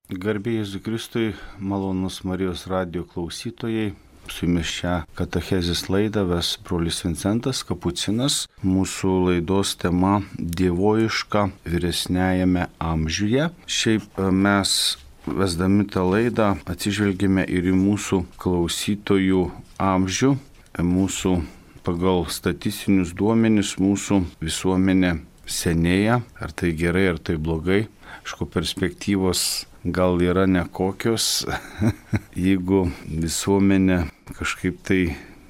Garbė Jėzui Kristui, malonus Marijos radijo klausytojai. Su jumis šią katechezės laidą ves brolis Vincentas Kapucinas. Mūsų laidos tema dievoiška vyresniajame amžiuje. Šiaip mes vesdami tą laidą atsižvelgėme ir į mūsų klausytojų amžių. Mūsų pagal statistinius duomenis mūsų visuomenė senėja. Ar tai gerai, ar tai blogai. Aišku, perspektyvos gal yra nekokios, jeigu visuomenė kažkaip tai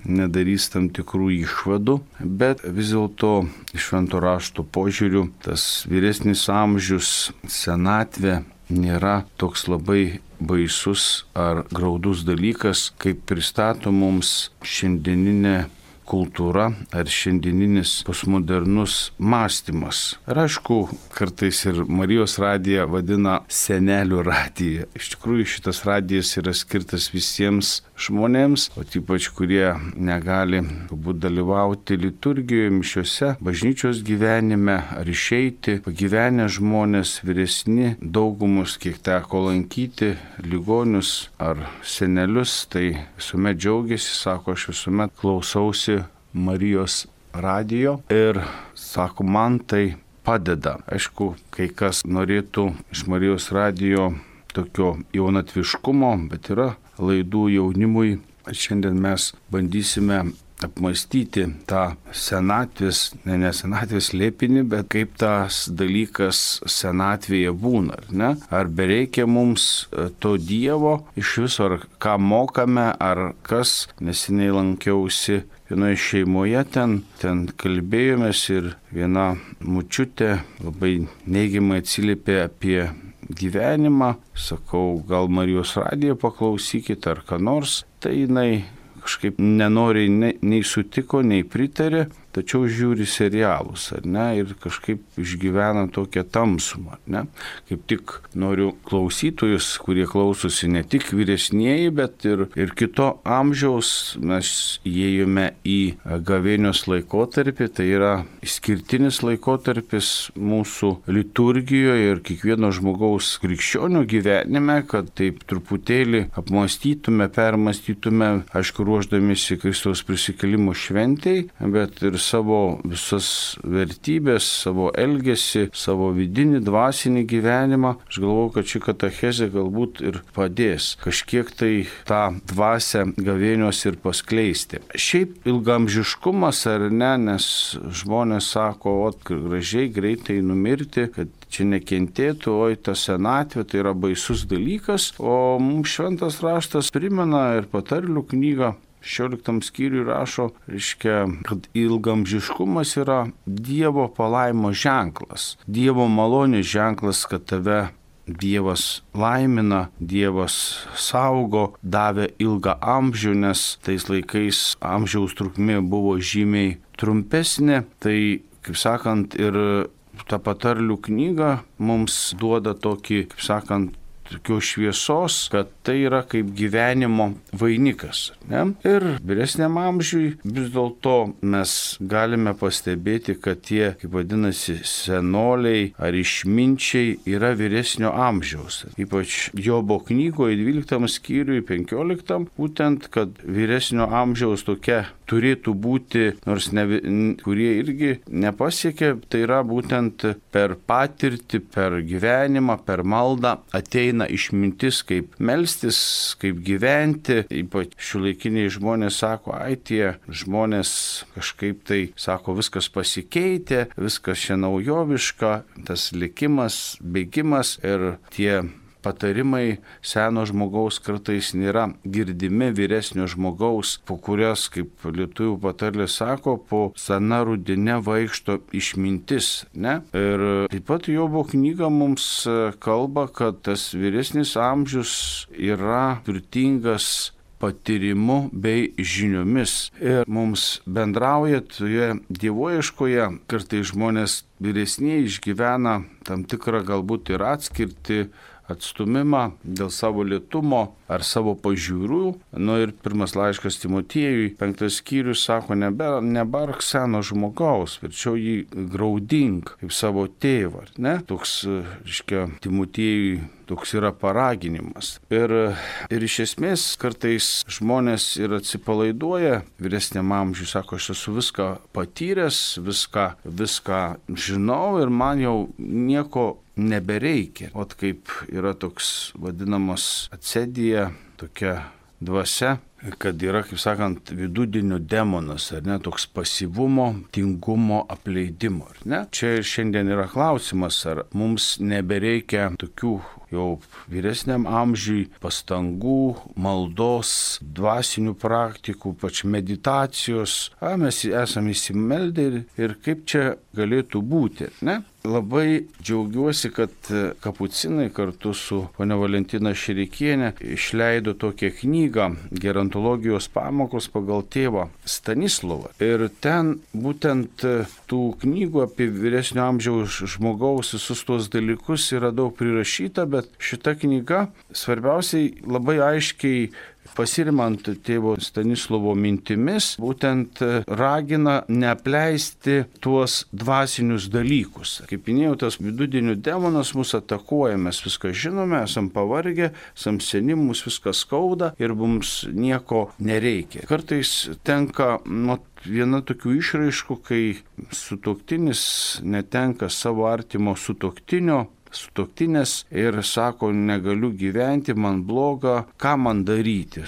nedarys tam tikrų išvadų, bet vis dėlto iš švento rašto požiūrių tas vyresnis amžius, senatvė nėra toks labai baisus ar graudus dalykas, kaip pristato mums šiandieninė kultūra ar šiandieninis postmodernus mąstymas. Ir aišku, kartais ir Marijos radiją vadina senelių radija. Iš tikrųjų, šitas radijas yra skirtas visiems žmonėms, o ypač kurie negali galbūt dalyvauti liturgijoje, mišiose, bažnyčios gyvenime ar išeiti. Pagyvenę žmonės, vyresni, daugumus, kiek teko lankyti, ligonius ar senelius, tai visuomet džiaugiasi, sako, aš visuomet klausausi Marijos radijo ir sako, man tai padeda. Aišku, kai kas norėtų iš Marijos radijo tokio jaunatviškumo, bet yra laidų jaunimui. Šiandien mes bandysime apmastyti tą senatvės, ne senatvės slėpinį, bet kaip tas dalykas senatvėje būna, ar ne? Ar bereikia mums to Dievo iš viso, ar ką mokame, ar kas. Neseniai lankiausi vienoje šeimoje, ten kalbėjomės ir viena mučiutė labai neigiamai atsiliepė apie gyvenimą. Sakau, gal Marijos radiją paklausykit ar ką nors. Tai jinai kažkaip nenoriai nei sutiko, nei pritarė, tačiau žiūri serialus, ar ne, ir kažkaip išgyvena tokią tamsumą, ar ne. Kaip tik noriu klausytojus, kurie klausosi ne tik vyresnieji, bet ir kito amžiaus, mes įėjome į gavėnios laikotarpį, tai yra išskirtinis laikotarpis mūsų liturgijoje ir kiekvieno žmogaus krikščionio gyvenime, kad taip truputėlį apmąstytume, permąstytume, aišku, ruošdamiesi Kristaus prisikėlimo šventei, bet ir savo visas vertybės, savo elgesį, savo vidinį, dvasinį gyvenimą. Aš galvoju, kad ši katechezė galbūt ir padės kažkiek tai tą dvasią gavėnios ir paskleisti. Šiaip ilgamžiškumas ar ne, nes žmonės sako, gražiai, greitai numirti, kad čia nekentėtų, oi ta senatvė, tai yra baisus dalykas, o mums šventas raštas primena ir patarlių knygą 16 skyriui rašo, kad ilgamžiškumas yra Dievo palaimo ženklas, Dievo malonės ženklas, kad tave Dievas laimina, Dievas saugo, davė ilgą amžių, nes tais laikais amžiaus trukmė buvo žymiai trumpesnė. Tai, kaip sakant, ir ta patarlių knyga mums duoda tokį, kaip sakant, tokios šviesos, kad tai yra kaip gyvenimo vainikas. Ne? Ir vyresniam amžiui vis dėlto mes galime pastebėti, kad tie, kaip vadinasi, senoliai ar išminčiai yra vyresnio amžiaus. Ypač Jobo knygoje 12 skyriui 15, būtent, kad vyresnio amžiaus tokia turėtų būti, nors kurie irgi nepasiekė, tai yra būtent per patirtį, per gyvenimą, per maldą ateina išmintis, kaip melstis, kaip gyventi. Ypač šiuolaikiniai žmonės sako, tie žmonės kažkaip tai, sako, viskas pasikeitė, viskas čia naujoviška, tas likimas, bėgimas ir tie patarimai seno žmogaus kartais nėra girdimi vyresnio žmogaus, po kurias, kaip lietuvių patarlė sako, po sena rudine vaikšto išmintis. Ne? Ir taip pat Jobo knyga mums kalba, kad tas vyresnis amžius yra turtingas patyrimu bei žiniomis. Ir mums bendrauja toje dievoieškoje, kartais žmonės vyresniai išgyvena tam tikrą galbūt ir atskirti atstumimą, dėl savo lėtumo ar savo pažiūrų. Ir pirmas laiškas Timotiejui, 5 skyrius, sako, nebark seno žmogaus, verčiau jį graudink kaip savo tėvą. Ne? Toks, reiškia, Timotiejui toks yra paraginimas. Ir iš esmės kartais žmonės ir atsipalaiduoja vyresniam amžiui, sako, aš esu viską patyręs, viską žinau ir man jau nieko nebereikia. O kaip yra toks vadinamas atsedija, tokia dvasia, kad yra, kaip sakant, vidudienio demonas, ar ne, toks pasyvumo, tingumo, apleidimo, ar ne? Čia ir šiandien yra klausimas, ar mums nebereikia tokių jau vyresniam amžiui pastangų, maldos, dvasinių praktikų, pač meditacijos. Mes esame įsimeldę ir kaip čia galėtų būti, ne? Labai džiaugiuosi, kad kapucinai kartu su ponia Valentina Šerekienė išleido tokią knygą Gerontologijos pamokos pagal tėvą Stanislovą. Ir ten būtent tų knygų apie vyresnio amžiaus žmogaus visus tuos dalykus yra daug prirašyta, bet šita knyga svarbiausiai labai aiškiai pasirimant tėvo Stanislovo mintimis, būtent ragina neapleisti tuos dvasinius dalykus. Kaip minėjau, tas vidudienio demonas mus atakuoja, mes viską žinome, esam pavargę, esam seni, mums viskas skauda ir mums nieko nereikia. Kartais tenka viena tokių išraiškų, kai sutuoktinis netenka savo artimo sutuoktinės ir sako, negaliu gyventi, man bloga, ką man daryti.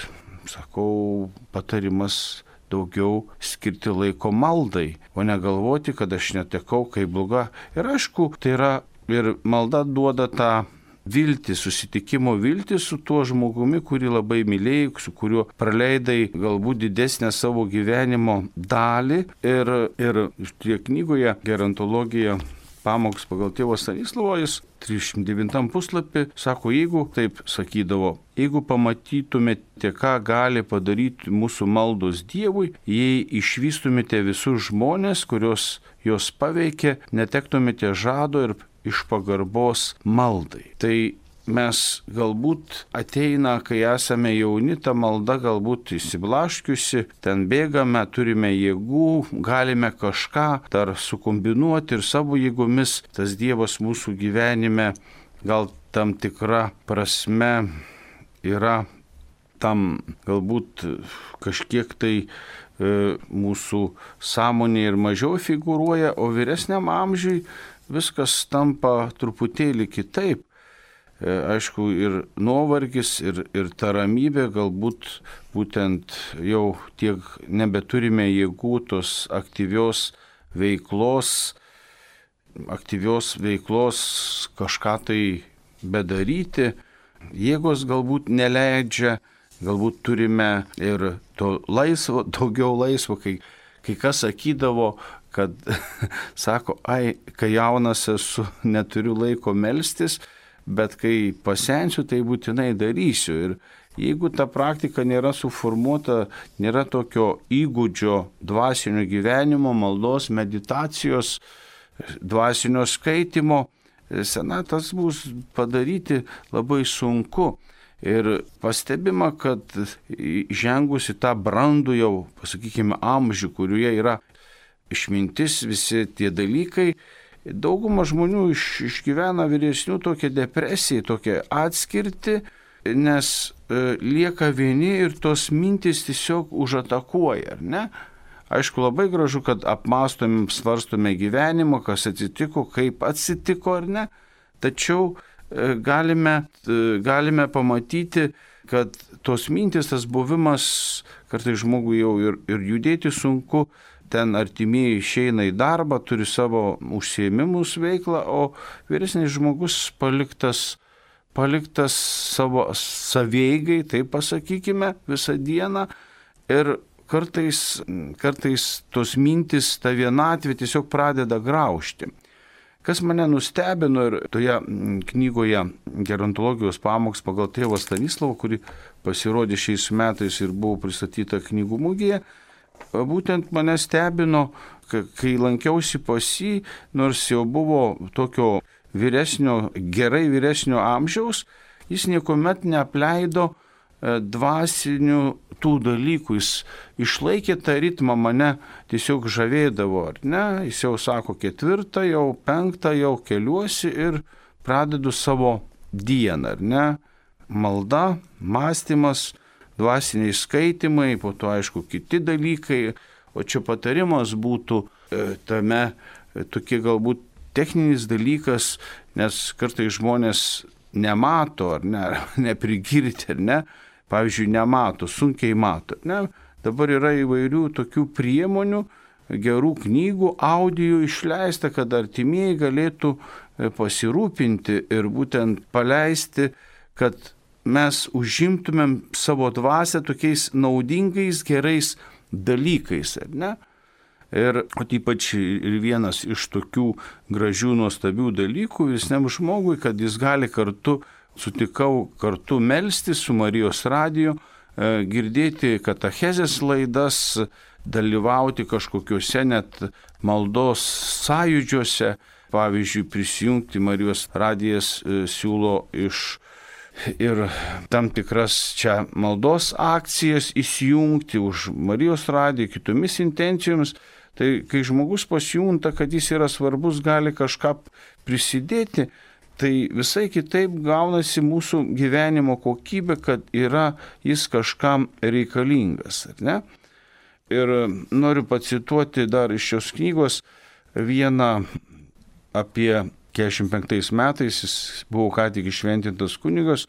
Sakau, patarimas daugiau skirti laiko maldai, o negalvoti, kad aš netekau, kaip bloga. Ir aišku, tai yra ir malda duoda tą viltį, susitikimo viltį su tuo žmogumi, kurį labai mylėjai, su kuriuo praleidai galbūt didesnę savo gyvenimo dalį. Ir šitoje knygoje Gerontologija pamoks pagal tėvo Stanislovo, jis 39 puslapį sako, jeigu, taip sakydavo, jeigu pamatytumėte, ką gali padaryti mūsų maldos Dievui, jei išvystumėte visus žmonės, kurios jos paveikia, netektumėte žado ir iš pagarbos maldai. Tai mes galbūt ateina, kai esame jauni, ta malda galbūt įsiblaškiusi, ten bėgame, turime jėgų, galime kažką dar sukombinuoti ir savo jėgomis. Tas Dievas mūsų gyvenime gal tam tikra prasme yra tam galbūt kažkiek tai mūsų sąmonė ir mažiau figūruoja, o vyresniam amžiui viskas tampa truputėlį kitaip. Aišku, ir nuovargis, ir ta ramybė, galbūt būtent jau tiek nebeturime jėgų tos aktyvios veiklos kažką tai bedaryti. Jėgos galbūt neleidžia, galbūt turime ir to laisvo, daugiau laisvo, kai kas sakydavo, kad sako, kai jaunas esu, neturiu laiko melstis, bet kai pasensiu, tai būtinai darysiu. Ir jeigu ta praktika nėra suformuota, nėra tokio įgūdžio dvasinio gyvenimo, maldos, meditacijos, dvasinio skaitimo, senatas bus padaryti labai sunku. Ir pastebima, kad žengus į tą brandų jau, pasakykime, amžių, kurioje yra išmintis, visi tie dalykai, dauguma žmonių išgyvena vyresnių tokią depresiją, tokią atskirtį, nes lieka vieni ir tos mintys tiesiog užatakuoja, ar ne? Aišku, labai gražu, kad apmąstome, svarstome gyvenimą, kas atsitiko, kaip atsitiko, ar ne? Tačiau galime pamatyti, kad tos mintys, tas buvimas, kartais žmogui jau ir judėti sunku, ten artimieji išeina į darbą, turi savo užsiėmimus veiklą, o vyresnis žmogus paliktas savo savieigai, taip pasakykime, visą dieną. Ir kartais tos mintis, ta vienatvė tiesiog pradeda graužti. Kas mane nustebino ir toje knygoje Gerontologijos pamoks pagal tėvą Stanislovą, kuri pasirodė šiais metais ir buvo pristatyta knygų mugėje, būtent mane stebino, kai lankiausi pas jį, nors jau buvo tokio gerai vyresnio amžiaus, jis niekuomet neapleido dvasinių tų dalykų. Jis išlaikė tą ritmą, mane tiesiog žavėdavo, ar ne? Jis jau sako 4, jau 5, jau keliuosi ir pradedu savo dieną, ar ne? Malda, mąstymas, dvasiniai skaitimai, po to aišku kiti dalykai, o čia patarimas būtų tame tokie galbūt techninis dalykas, nes kartais žmonės nemato, ar ne, neprigirti, ar ne, pavyzdžiui, nemato, sunkiai mato, ne, dabar yra įvairių tokių priemonių, gerų knygų, audio išleista, kad artimieji galėtų pasirūpinti ir būtent paleisti, kad mes užimtumėm savo dvasią tokiais naudingais, gerais dalykais, ar ne? Ir ypač ir vienas iš tokių gražių, nuostabių dalykų visam žmogui, kad jis gali sutikau kartu melstis su Marijos radiju, girdėti katachezės laidas, dalyvauti kažkokiuose net maldos sąjūdžiuose, pavyzdžiui, prisijungti Marijos radijas siūlo ir tam tikras čia maldos akcijas įsijungti už Marijos radiją kitomis intencijomis. Tai kai žmogus pasijunta, kad jis yra svarbus, gali kažką prisidėti, tai visai kitaip gaunasi mūsų gyvenimo kokybė, kad jis kažkam reikalingas, ar ne? Ir noriu pacituoti dar iš šios knygos vieną apie 45 metais, jis buvo ką tik išventintas kunigas,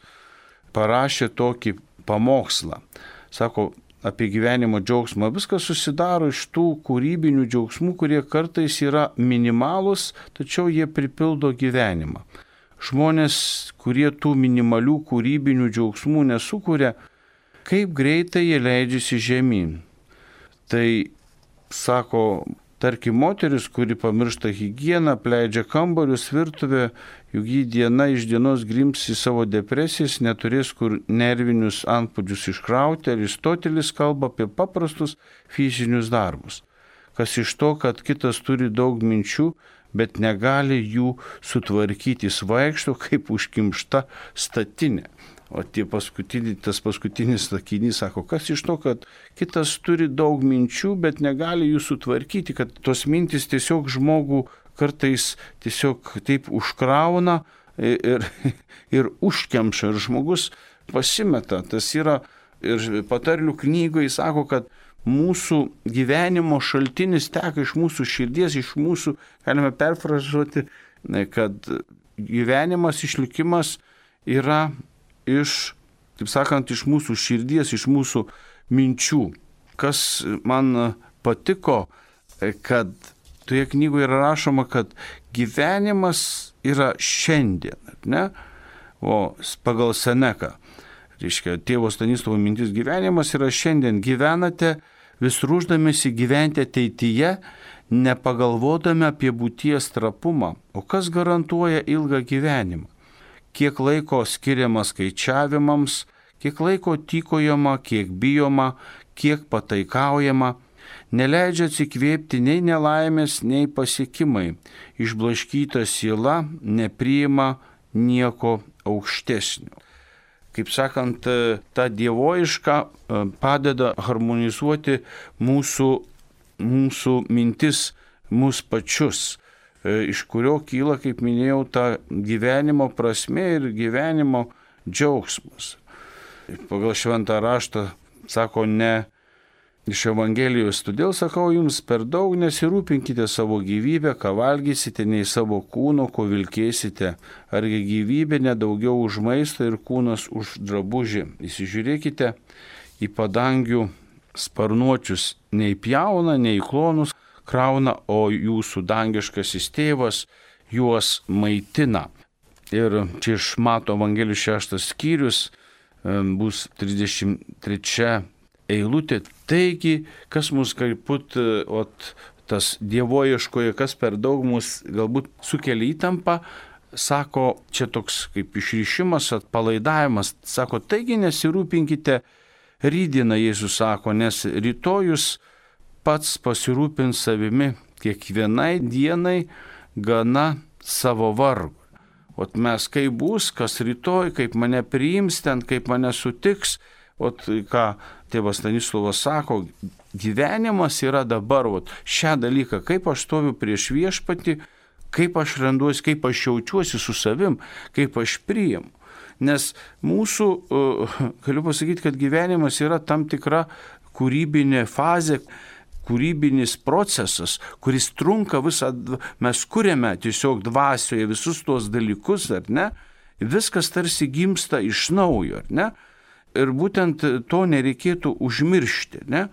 parašė tokį pamokslą. Sako apie gyvenimo džiaugsmą. Viskas susidaro iš tų kūrybinių džiaugsmų, kurie kartais yra minimalūs, tačiau jie pripildo gyvenimą. Žmonės, kurie tų minimalių kūrybinių džiaugsmų nesukuria, kaip greitai jie leidžiasi žemyn. Tai, sako, tarkim, moteris, kuri pamiršta higieną, apleidžia kambarius, virtuvę, juk ji diena iš dienos grims į savo depresijas, neturės kur nervinius antplūdžius iškrauti. Aristotelis kalba apie paprastus fizinius darbus. Kas iš to, kad kitas turi daug minčių, bet negali jų sutvarkyti, jis vaikšto kaip užkimšta statinė. O tas paskutinis sakinys sako, kas iš to, kad kitas turi daug minčių, bet negali jų sutvarkyti, kad tos mintis tiesiog žmogų kartais tiesiog taip užkrauna ir užkemša, ir žmogus pasimeta. Tas yra ir patarlių knygoje sako, kad mūsų gyvenimo šaltinis teka iš mūsų širdies, iš mūsų, galime perfrazuoti, kad gyvenimas, išlikimas yra iš, taip sakant, iš mūsų širdies, iš mūsų minčių. Kas man patiko, kad toje knygoje yra rašoma, kad gyvenimas yra šiandien, ne? O pagal Seneką, reiškia, tėvo Stanislovo mintis, gyvenimas yra šiandien. Gyvenate vis ruošdamėsi gyventi ateityje, nepagalvodami apie būties trapumą. O kas garantuoja ilgą gyvenimą? Kiek laiko skiriama skaičiavimams, kiek laiko tykojama, kiek bijoma, kiek pataikaujama, neleidžia atsikvėpti nei nelaimės, nei pasiekimai. Išblaškyta siela nepriima nieko aukštesnio. Kaip sakant, ta dievoiška padeda harmonizuoti mūsų mintis, mūsų pačius, iš kurio kyla, kaip minėjau, ta gyvenimo prasmė ir gyvenimo džiaugsmas. Pagal šventą raštą sako ne iš Evangelijos, todėl sakau jums, per daug nesirūpinkite savo gyvybę, ką valgysite, nei savo kūno, ko vilkėsite, argi gyvybė nedaugiau už maistą ir kūnas už drabužį. Įsižiūrėkite į padangių sparnuočius, nei pjauna, nei klonus krauna, o jūsų dangiškasis tėvas juos maitina. Ir čia iš Mato Evangelijos 6 skyrius bus 33 eilutė. Taigi, kas mus galbūt, tas dievoieškoje, kas per daug mus galbūt sukelia įtampą, sako, čia toks kaip išrišimas, atpalaidavimas, sako, taigi nesirūpinkite rytdieną, Jėzus sako, nes rytojus pats pasirūpins savimi, kiekvienai dienai gana savo vargo. Ot mes kaip bus, kas rytoj, kaip mane priims ten, kaip mane sutiks. Ot ką tėvas Stanislovas sako, gyvenimas yra dabar, ot šią dalyką, kaip aš stoviu prieš viešpatį, kaip aš randuosi, kaip aš jaučiuosi su savim, kaip aš priimu. Nes mūsų, galiu pasakyti, kad gyvenimas yra tam tikra kūrybinė fazė, kūrybinis procesas, kuris trunka visą, mes kuriame tiesiog dvasioje visus tuos dalykus, ar ne? Viskas tarsi gimsta iš naujo, ar ne? Ir būtent to nereikėtų užmiršti, ne?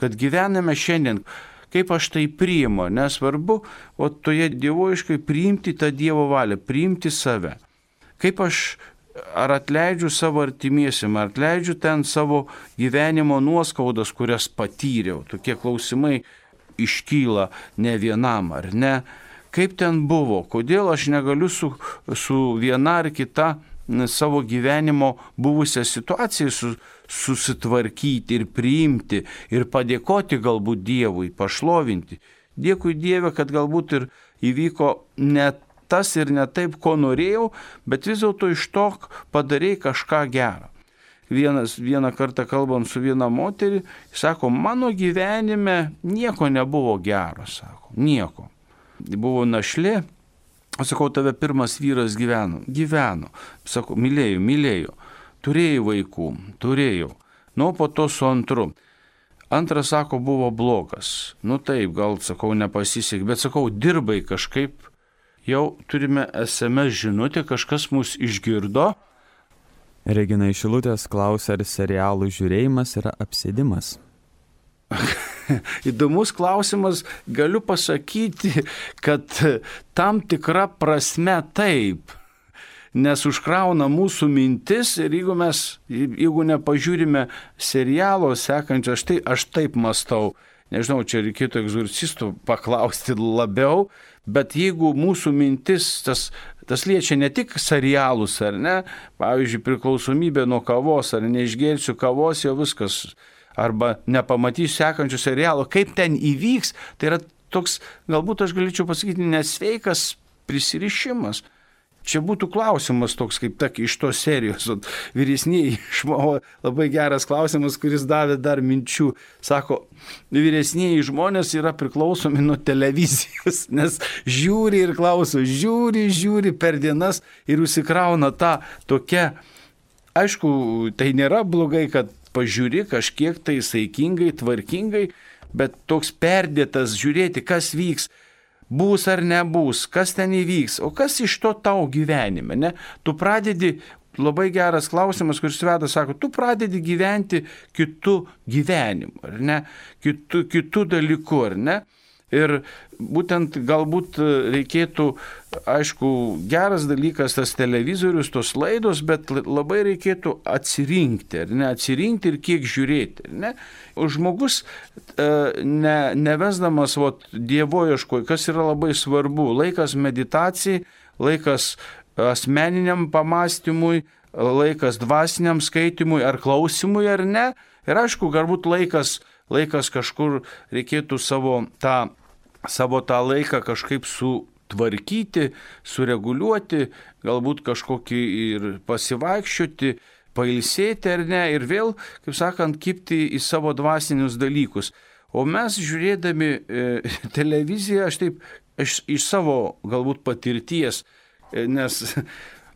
Kad gyvename šiandien, kaip aš tai priimu, nesvarbu, o toje dievoiškai priimti tą Dievo valią, priimti save. Kaip aš ar atleidžiu savo artimiesiam, ar atleidžiu ten savo gyvenimo nuoskaudas, kurias patyriau. Tokie klausimai iškyla ne vienam, ar ne? Kaip ten buvo? Kodėl aš negaliu su viena ar kita savo gyvenimo buvusią situaciją susitvarkyti ir priimti ir padėkoti galbūt Dievui, pašlovinti. Dėkui Dieve, kad galbūt ir įvyko net tas ir ne taip, ko norėjau, bet vis dėlto iš to padarėjai kažką gerą. Vieną kartą kalbant su viena moterį, sako, mano gyvenime nieko nebuvo gero, sako, nieko. Buvo našlė, aš sakau, tave pirmas vyras gyveno, sako, mylėjau, turėjau vaikų, nu po to su antru. Antras, sako, buvo blogas, nu taip, gal, sakau, nepasisekė, bet sakau, dirbai kažkaip. Jau turime SMS žinutę, kažkas mus išgirdo. Regina iš Šilutės klausia, ar serialų žiūrėjimas yra apsėdimas. Įdomus klausimas, galiu pasakyti, kad tam tikra prasme taip, nes užkrauna mūsų mintis ir jeigu nepažiūrime serialo sekančio, aš taip mąstau, nežinau, čia reikėtų egzorcistų paklausti labiau, bet jeigu mūsų mintis, tas liečia ne tik serialus, ar ne, pavyzdžiui, priklausomybė nuo kavos, ar neišgersiu kavos, jau viskas, arba nepamatysiu sekančių serialų, kaip ten įvyks, tai yra toks, galbūt aš galėčiau pasakyti, nesveikas prisirišimas. Čia būtų klausimas toks, kaip iš tos serijos. Vyresnieji išmano, labai geras klausimas, kuris davė dar minčių. Sako, vyresnieji žmonės yra priklausomi nuo televizijos, nes žiūri ir klauso, žiūri per dienas ir užsikrauna tą tokia. Aišku, tai nėra blogai, kad pažiūri kažkiek tai saikingai, tvarkingai, bet toks perdėtas žiūrėti, kas vyks. Bus ar nebus, kas ten įvyks, o kas iš to tau gyvenime, ne? Tu pradedi, labai geras klausimas, kuris veda, sako, tu pradedi gyventi kitų gyvenimu, ar ne? Kitų dalykų, ar ne? Ir būtent galbūt reikėtų, aišku, geras dalykas tas televizorius, tos laidos, bet labai reikėtų atsirinkti, ar ne? Atsirinkti ir kiek žiūrėti, ar ne? Žmogus nevesdamas dievoieškoj, kas yra labai svarbu, laikas meditacijai, laikas asmeniniam pamastymui, laikas dvasiniam skaitimui ar klausimui, ar ne? Ir aišku, galbūt laikas kažkur reikėtų savo tą laiką kažkaip sutvarkyti, sureguliuoti, galbūt kažkokį ir pasivaikščioti, pailsėti ar ne, ir vėl, kaip sakant, kibti į savo dvasinius dalykus. O mes žiūrėdami televiziją, aš iš savo galbūt patirties, nes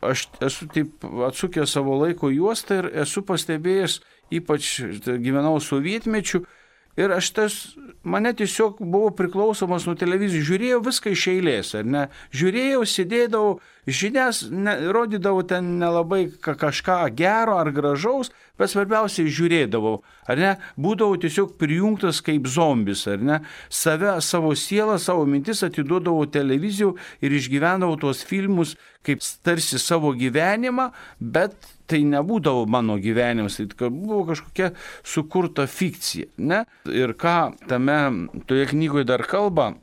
aš esu taip atsukęs savo laiko juostą ir esu pastebėjęs, ypač gyvenau sovietmečiu, ir mane tiesiog buvo priklausomas nuo televizijų, žiūrėjau viską iš eilės, ar ne, žiūrėjau, sėdėdavau, žinias, rodydavau ten nelabai kažką gero ar gražaus, bet svarbiausiai žiūrėdavau, ar ne, būdavau tiesiog prijungtas kaip zombis, ar ne, savo sielą, savo mintis atiduodavau televizijų ir išgyvendavau tuos filmus kaip tarsi savo gyvenimą, bet tai nebūdavo mano gyvenimas, tai buvo kažkokia sukurta fikcija, ne? Ir ką toje knygoje dar kalba,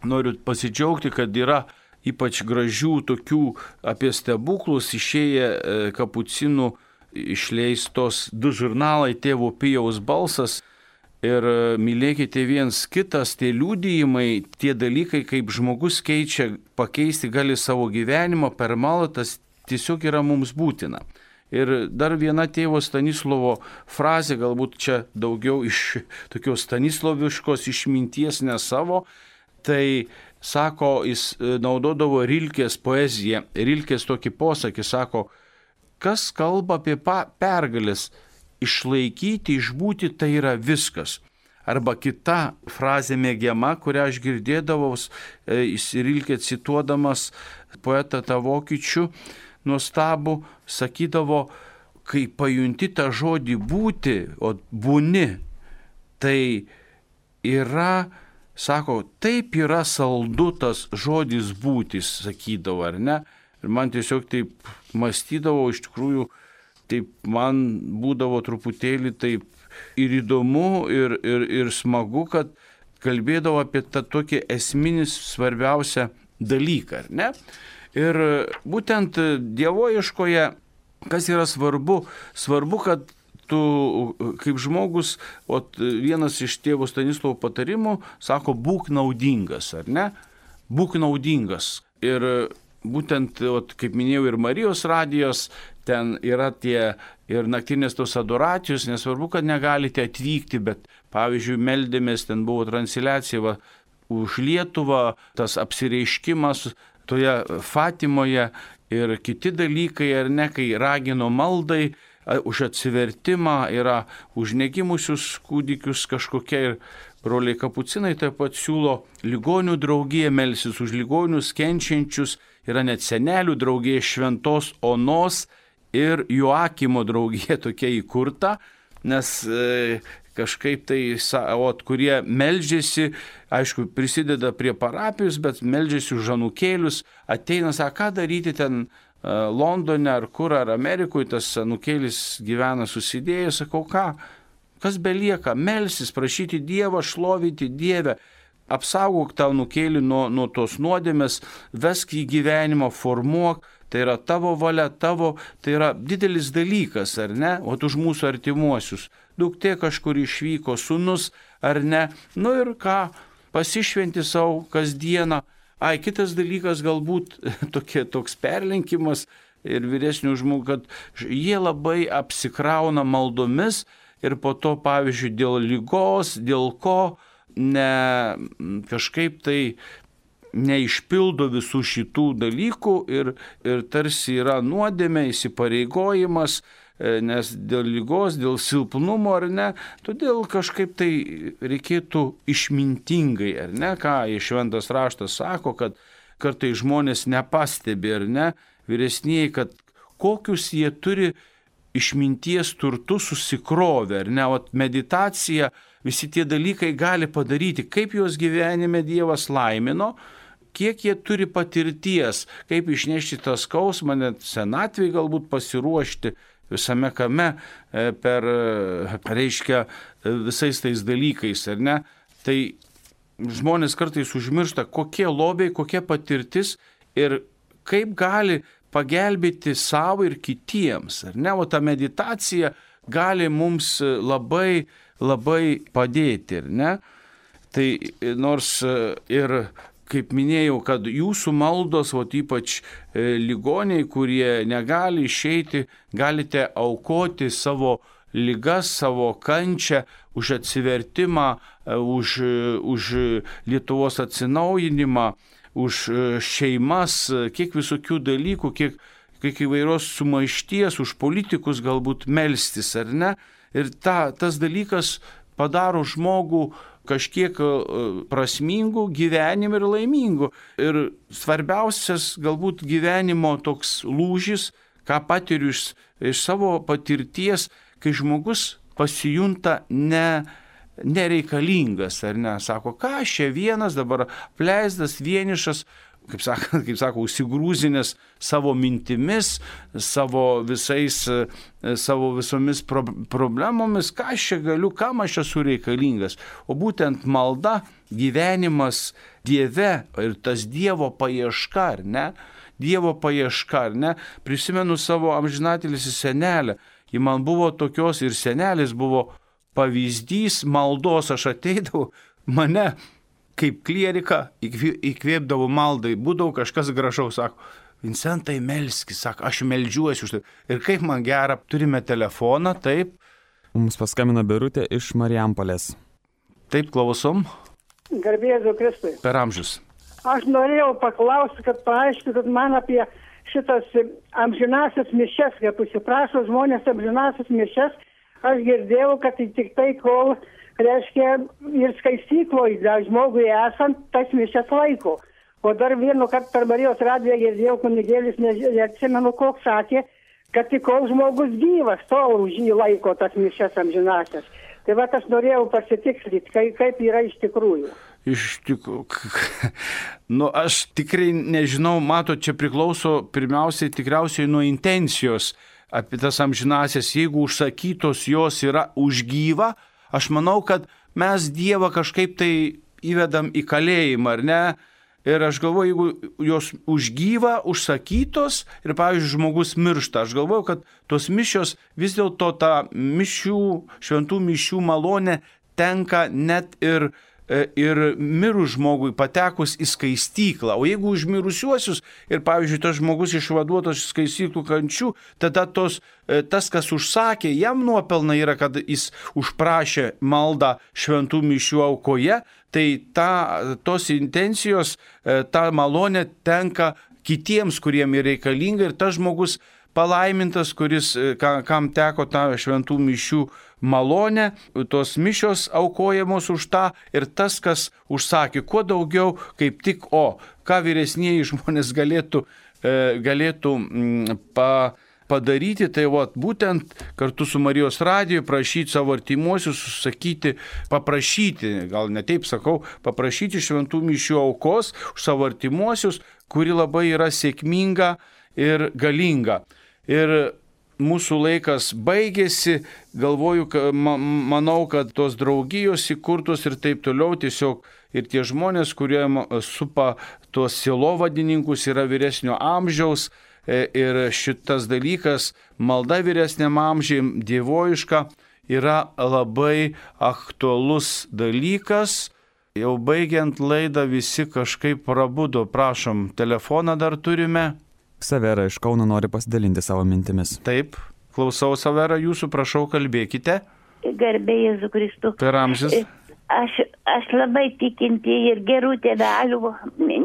noriu pasidžiaugti, kad yra ypač gražių tokių apie stebuklus, išėję kapucinų išleistos 2 žurnalai Tėvo Pijaus balsas ir mylėkite viens kitas, tie liudijimai, tie dalykai, kaip žmogus pakeisti gali savo gyvenimą per maldą, tas tiesiog yra mums būtina. Ir dar viena tėvo Stanislovo frazė, galbūt čia daugiau iš tokios stanisloviškos išminties, ne savo, tai sako, jis naudodavo Rilkės poeziją. Rilkės tokį posakį sako, kas kalba apie pergalės, išlaikyti, išbūti, tai yra viskas. Arba kita frazė mėgiama, kurią aš girdėdavau, Rilkė cituodamas poetą tą vokiečių nuostabų, sakydavo, kai pajunti tą žodį būti, o būni, tai yra, sako, taip yra saldu tas žodis būtis, sakydavo, ar ne? Ir man tiesiog taip mąstydavo, iš tikrųjų, taip man būdavo truputėlį taip ir įdomu, ir smagu, kad kalbėdavo apie tą tokį esminį svarbiausią dalyką, ar ne? Ir būtent dievoieškoje, kas yra svarbu? Svarbu, kad tu kaip žmogus, vienas iš tėvo Stanislovo patarimų, sako, būk naudingas, ar ne? Būk naudingas. Ir būtent, kaip minėjau, ir Marijos radijos, ten yra tie ir naktinės tos adoracijos, nesvarbu, kad negalite atvykti, bet, pavyzdžiui, meldėmės, ten buvo transliacija už Lietuvą, tas apsireiškimas toje Fatimoje ir kiti dalykai, ar ne, kai ragino maldai, už atsivertimą, yra už negimusius kūdikius kažkokie, ir broliai kapucinai taip pat siūlo ligonių draugiją melsis už ligonius kenčiančius, yra net senelių draugija Šventos Onos ir Joakimo draugija tokia įkurta, nes kažkaip tai, kurie meldžiasi, aišku, prisideda prie parapijos, bet meldžiasi už anūkėlius, ateina, sako, ką daryti ten Londone ar kur, ar Amerikoje, tas anūkėlis gyvena susidėjęs, sakau, kas belieka, melsis, prašyti Dievą, šlovinti Dievę, apsaugok tą anūkėlį nuo tos nuodėmės, vesk į gyvenimą, formuok, tai yra tavo valia, tai yra didelis dalykas, ar ne, už mūsų artimuosius. Duktė kažkur išvyko, sūnus, ar ne, ir ką, pasišventi savo kasdieną. Kitas dalykas galbūt toks perlenkimas ir vyresnių žmonių, kad jie labai apsikrauna maldomis ir po to, pavyzdžiui, dėl ligos, dėl ko kažkaip tai neišpildo visų šitų dalykų ir tarsi yra nuodėmė, įsipareigojimas, nes dėl ligos, dėl silpnumo, ar ne, todėl kažkaip tai reikėtų išmintingai, ar ne, ką Šventas raštas sako, kad kartais žmonės nepastebi, ar ne, vyresnieji, kad kokius jie turi išminties turtus susikrovę, ar ne, meditacija, visi tie dalykai gali padaryti, kaip juos gyvenime Dievas laimino, kiek jie turi patirties, kaip išnešti tą skausmą, net senatvėj galbūt pasiruošti visame kame reiškia visais tais dalykais, ar ne? Tai žmonės kartais užmiršta, kokie lobiai, kokia patirtis ir kaip gali pagelbėti savo ir kitiems, ar ne? O ta meditacija gali mums labai, labai padėti, ar ne? Tai nors ir kaip minėjau, kad jūsų maldos, ypač ligoniai, kurie negali išeiti, galite aukoti savo ligas, savo kančią už atsivertimą, už Lietuvos atsinaujinimą, už šeimas, kiek visokių dalykų, kiek įvairios sumaišties, už politikus galbūt melstis, ar ne? Ir tas dalykas padaro žmogų kažkiek prasmingų gyvenimų ir laimingų. Ir svarbiausias galbūt gyvenimo toks lūžis, ką patiriu iš savo patirties, kai žmogus pasijunta nereikalingas, ar ne? Sako, ką aš čia vienas dabar apleistas, vienišas, kaip sako, užsigrūzinęs savo mintimis, savo visomis problemomis, ką aš čia galiu, kam aš esu reikalingas. O būtent malda, gyvenimas Dieve ir tas Dievo paieška, ar ne? Dievo paieška, ar ne? Prisimenu savo amžinatilsį senelę. Ji man buvo tokios ir senelis buvo pavyzdys maldos. Aš ateidavau, mane kaip klieriką įkvėpdavo maldai, būdavo kažkas gražaus, sako, Vincentai, melskis, sako, aš meldžiuosi už tai. Ir kaip man gera, turime telefoną, taip. Mums paskambino Birutė iš Marijampolės. Taip, klausom. Garbė Jėzui Kristui. Per amžius. Aš norėjau paklausti, kad paaiškintumėt man apie šitas amžinasias mišias, kaip užsiprašo žmonės amžinasias mišias. Aš girdėjau, kad tik tai kol, reiškia, ir skaistykloje žmogui esant, tas mišias laiko. O dar vienu kartą per Marijos radiją girdėjau, kunigėlis, neatsimenu, koks sakė, kad tik kol žmogus gyvas, tol už jį laiko tas mišias amžinasias. Tai va, aš norėjau pasitikslinti, kaip yra iš tikrųjų. Iš tikrųjų, aš tikrai nežinau, čia priklauso pirmiausiai tikriausiai nuo intencijos apie tas amžinasias. Jeigu užsakytos jos yra už gyvą, aš manau, kad mes Dievą kažkaip tai įvedam į kalėjimą, ar ne? Ir aš galvoju, jeigu jos už gyvą užsakytos ir, pavyzdžiui, žmogus miršta, aš galvoju, kad tos mišios vis dėlto ta šventų mišių malonė tenka net ir mirus žmogui patekus į skaistyklą. O jeigu už mirusiuosius ir, pavyzdžiui, tas žmogus išvaduotas iš skaistyklų kančių, tada tas, kas užsakė, jam nuopelna yra, kad jis užprašė maldą šventų mišių aukoje, tai tos intencijos, ta malonė tenka kitiems, kuriem yra reikalinga, ir tas žmogus palaimintas, kam teko tą šventų mišių malonę, tos mišios aukojamos už tą, ir tas, kas užsakė, kuo daugiau, kaip tik, ką vyresnieji žmonės galėtų padaryti, tai būtent kartu su Marijos radiju prašyti savo artimuosius, paprašyti, gal ne taip sakau, paprašyti šventų mišių aukos už savo artimuosius, kuri labai yra sėkminga ir galinga. Ir mūsų laikas baigėsi, galvoju, manau, kad tos draugijos įkurtos ir taip toliau, tiesiog ir tie žmonės, kurie supa tuos sielovadininkus, yra vyresnio amžiaus, ir šitas dalykas, malda vyresniam amžiai, dievojiška, yra labai aktualus dalykas. Jau baigiant laidą visi kažkaip prabudo. Prašom, telefoną dar turime. Savera iš Kauno nori pasidalinti savo mintimis. Taip, klausau, Savera, jūsų, prašau, kalbėkite. Garbė Jėzų Kristų. Per amžius. Aš labai tikinti ir gerų tėvelių,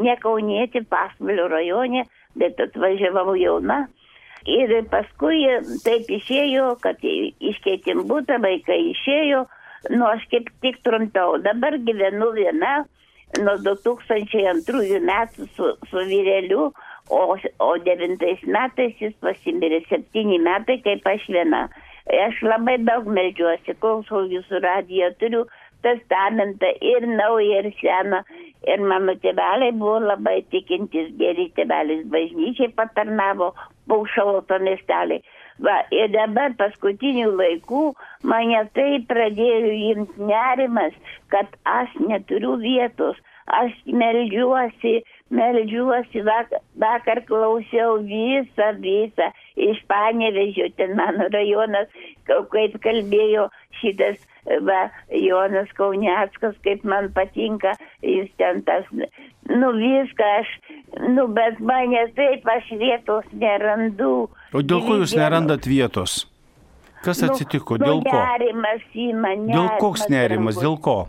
ne kaunietį, Pasvalio rajone, bet atvažiavau jauna. Ir paskui taip išėjo, kad iškeitėm butą, vaikai išėjo, aš kaip tik trumpiau. Dabar gyvenu viena nuo 2002 metų su vyreliu, o 9 metais jis pasimirė, 7 metai kaip aš viena. Aš labai daug meldžiuosi, klausau jūsų radiją, turiu testamentą ir naują, ir seną. Ir mano tėveliai buvo labai tikintis, geri tėvelis, bažnyčiai patarnavo, Paušaloto miestelį. Ir dabar paskutinių laikų mane tai pradėjo imti nerimas, kad aš neturiu vietos. Aš meldžiuosi, vakar klausiau visą, iš Panevėžio, ten mano rajonas, kaip kalbėjo šitas Jonas Kauniackas, kaip man patinka, jis ten tas, viską aš, bet mane taip, aš vietos nerandu. O dėl ko jūs nerandat vietos? Kas atsitiko, dėl ko? Nerimas į mane. Dėl koks nerimas, dėl ko?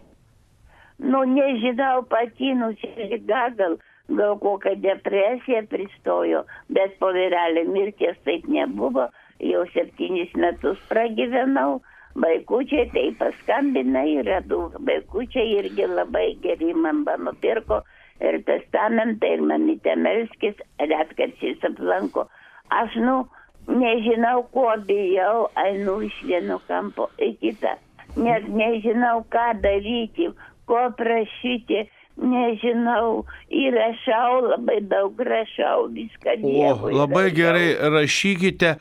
Nežinau, pati nusižyga, gal kokia depresija pristojo, bet po vyrelio mirties taip nebuvo, jau 7 metus pragyvenau, vaikučiai tai paskambina ir radau, vaikučiai irgi labai geri man nupirko ir testamentą, ir mamytė melskis, retkarčiais aplanko. Aš, nežinau, ko bijau, einu iš vieno kampo į kitą, net nežinau, ką daryti, ko prašyti, nežinau, ir labai daug rašau, viską Dievui. Labai gerai, rašykite,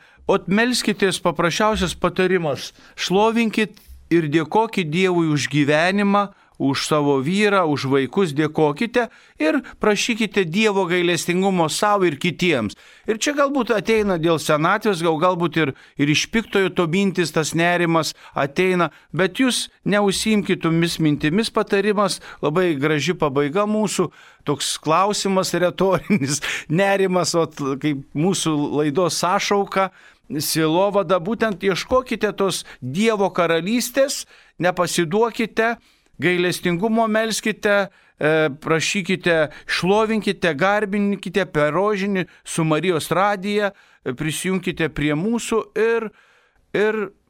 melskitės, paprasčiausias patarimas, šlovinkit ir dėkokit Dievui už gyvenimą, už savo vyrą, už vaikus dėkokite ir prašykite Dievo gailestingumo savo ir kitiems. Ir čia galbūt ateina dėl senatvės, galbūt ir iš piktojo to mintis, tas nerimas ateina, bet jūs neužsiimkite tomis mintimis. Patarimas, labai graži pabaiga mūsų, toks klausimas retorinis, nerimas, kaip mūsų laidos sąšauka, sielovada, būtent ieškokite tos Dievo karalystės, nepasiduokite, gailestingumo melskite, prašykite, šlovinkite, garbinkite per rožinį su Marijos radija, prisijunkite prie mūsų ir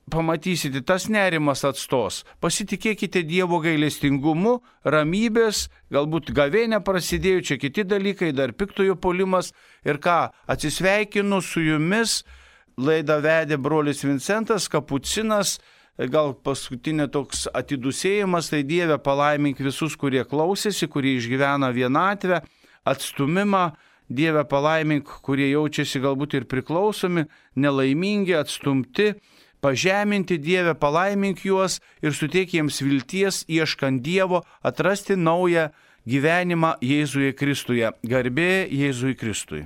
pamatysite, tas nerimas atstos. Pasitikėkite Dievo gailestingumu, ramybės, galbūt gavėnė prasidėjo, čia kiti dalykai, dar piktojo puolimas. Ir ką, atsisveikinu su jumis, laidą vedė brolis Vincentas, kapucinas. Gal paskutinė toks atidusėjimas, tai Dieve palaimink visus, kurie klausėsi, kurie išgyvena vienatvę, atstumimą. Dieve palaimink, kurie jaučiasi galbūt ir priklausomi, nelaimingi, atstumti, pažeminti. Dieve palaimink juos ir suteik jiems vilties, ieškant Dievo, atrasti naują gyvenimą Jėzuje Kristuje. Garbė Jėzui Kristui.